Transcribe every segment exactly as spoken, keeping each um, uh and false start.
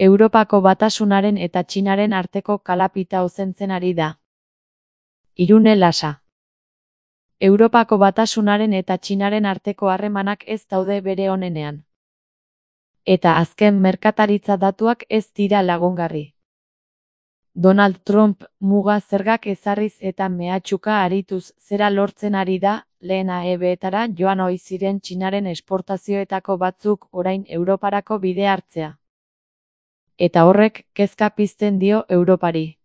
Europako Batasunaren eta Txinaren arteko kalapita ozentzen ari da. Irune Lasa. Europako Batasunaren eta Txinaren arteko harremanak ez daude bere onenean. Eta azken merkataritza datuak ez dira lagungarri. Donald Trump muga zergak ezarriz eta mehatxuka arituz zera lortzen ari da, lehen A E B-etara joan ohi ziren Txinaren esportazioetako batzuk orain Europarako bide hartzea. Eta horrek kezka pizten dio Europari.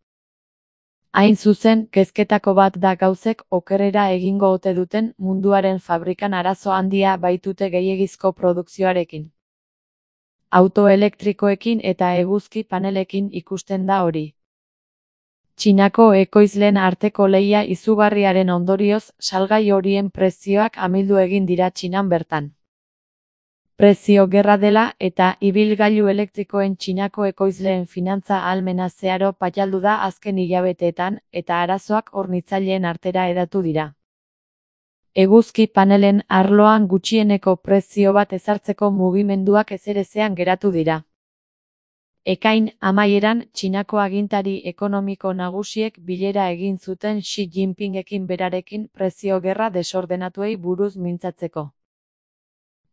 Hain zuzen, kezketako bat da gauzek okerrera egingo ote duten munduaren fabrikan arazo handia baitute gehiegizko produkzioarekin. Auto elektrikoekin eta eguzki panelekin ikusten da hori. Txinako ekoizleen arteko lehia izugarriaren ondorioz salgai horien prezioak amildu egin dira Txinan bertan. Prezio gerra dela eta ibilgailu elektrikoen Txinako ekoizleen finantza ahalmena zeharo paialdu da azken hilabeteetan eta arazoak hornitzaileen artera hedatu dira. Eguzki panelen arloan gutxieneko prezio bat ezartzeko mugimenduak ezerezean geratu dira. Ekain amaieran Txinako agintari ekonomiko nagusiek bilera egin zuten Xi Jinpingekin berarekin prezio gerra desordenatuei buruz mintzatzeko.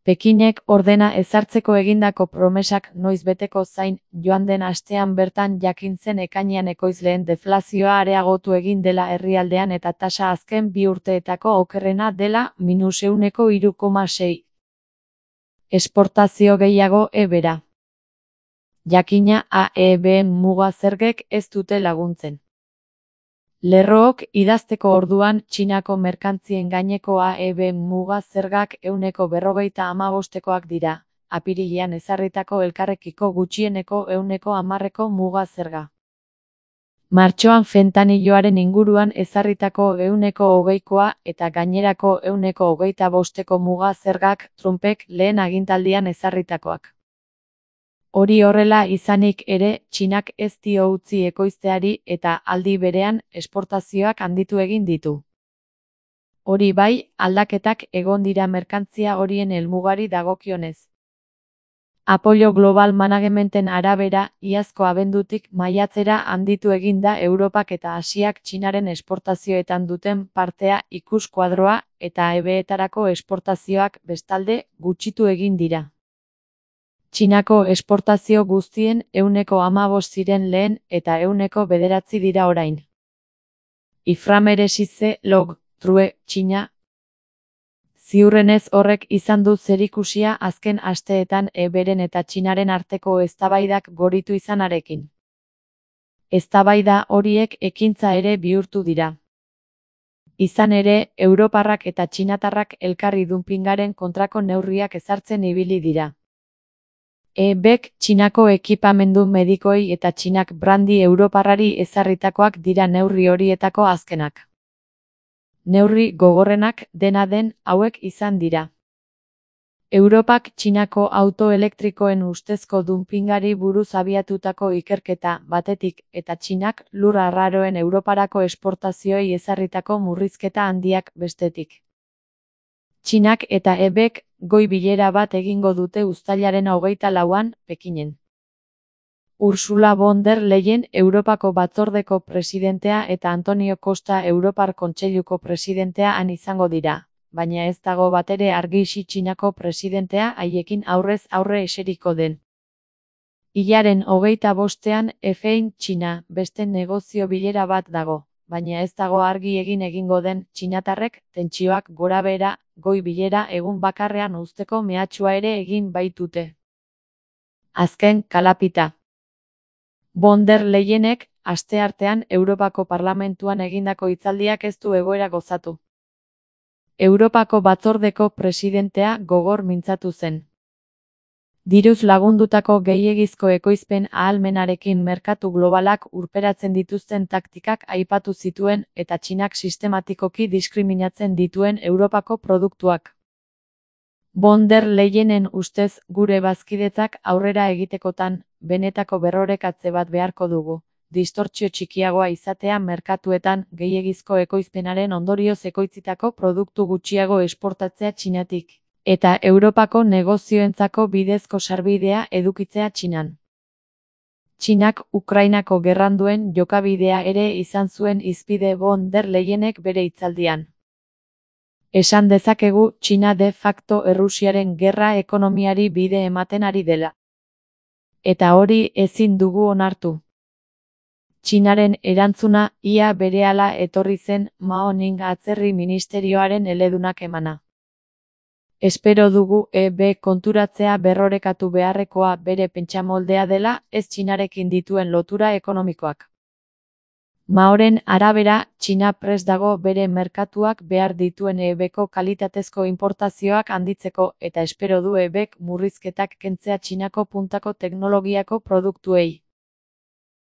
Pekinek ordena ezartzeko egindako promesak noiz beteko zain, joan den astean bertan jakin zen ekainean ekoizleen deflazioa areagotu egin dela herrialdean eta tasa azken bi urteetako okerrena dela minus ehuneko hiru koma sei. Esportazio gehiago ebera. Jakina A E B muga zergek ez dute laguntzen. Lerrook idazteko orduan Txinako merkantzien gaineko A E B muga zergak ehuneko berrogeita hamabostekoak dira, apirilean ezarritako elkarrekiko gutxieneko ehuneko hamarreko muga zerga. Martxoan fentaniloaren inguruan ezarritako ehuneko hogeikoa eta gainerako ehuneko hogeita bosteko muga zergak Trumpek lehen agintaldian ezarritakoak. Hori horrela izanik ere, Txinak ez dio utzi ekoizteari eta aldi berean esportazioak handitu egin ditu. Hori bai, aldaketak egon dira merkantzia horien helmugari dagokionez. Apollo Global Managementen arabera, iazko abendutik maiatzera handitu egin da Europak eta Asiak Txinaren esportazioetan duten partea ikuskuadroa eta A E B-etarako esportazioak bestalde gutxitu egin dira. Txinako esportazio guztien ehuneko hamabost ziren lehen eta ehuneko bederatzi dira orain. Iframeresize log, true, Txina. Ziurrenez horrek izan du zerikusia azken asteetan E B-ren eta Txinaren arteko eztabaidak goritu izanarekin. Eztabaida horiek ekintza ere bihurtu dira. Izan ere, europarrak eta txinatarrak elkarri dumpingaren kontrako neurriak ezartzen ibili dira. E B-ek Txinako ekipamendu medikoei eta Txinak brandi europarrari ezarritakoak dira neurri horietako azkenak. Neurri gogorrenak dena den hauek izan dira. Europak Txinako auto elektrikoen ustezko dumpingari buruz abiatutako ikerketa batetik eta Txinak lur arraroen Europarako esportazioei ezarritako murrizketa handiak bestetik. Txinak eta E B-ek goi bilera bat egingo dute uztailaren hogeita lauan, Pekinen. Ursula von der Leyen Europako Batzordeko presidentea eta Antonio Costa Europar Kontseiluko presidentea han izango dira, baina ez dago batere argi Xi Txinako presidentea haiekin aurrez aurre eseriko den. Hilaren hogeita bostean Efein Txina beste negozio bilera bat dago, baina ez dago argi egin egingo den txinatarrek tentsioak gorabehera goi bilera egun bakarrean uzteko mehatxua ere egin baitute. Azken kalapita. Von der Leyenek asteartean Europako Parlamentuan egindako hitzaldiak ez du egoera gozatu. Europako Batzordeko presidentea gogor mintzatu zen. Diruz lagundutako gehiegizko ekoizpen ahalmenarekin merkatu globalak urperatzen dituzten taktikak aipatu zituen eta Txinak sistematikoki diskriminatzen dituen Europako produktuak. Von der Leyenen ustez gure bazkidetzak aurrera egitekotan, benetako berrorekatze bat beharko dugu, distortsio txikiagoa izatea merkatuetan gehiegizko ekoizpenaren ondorioz ekoitzitako produktu gutxiago esportatzea Txinatik. Eta Europako negozioentzako bidezko sarbidea edukitzea Txinan. Txinak Ukrainako gerran duen jokabidea ere izan zuen hizpide von der Leyenek bere hitzaldian. Esan dezakegu Txina de facto Errusiaren gerra ekonomiari bide ematen ari dela. Eta hori ezin dugu onartu. Txinaren erantzuna ia berehala etorri zen Mao Ning atzerri ministerioaren eledunak emana. Espero dugu E B konturatzea berrorekatu beharrekoa bere pentsamoldea dela, ez Txinarekin dituen lotura ekonomikoak. Maoren arabera, Txina prest dago bere merkatuak behar dituen E Bko kalitatezko inportazioak handitzeko eta espero du E Bk murrizketak kentzea Txinako puntako teknologiako produktuei.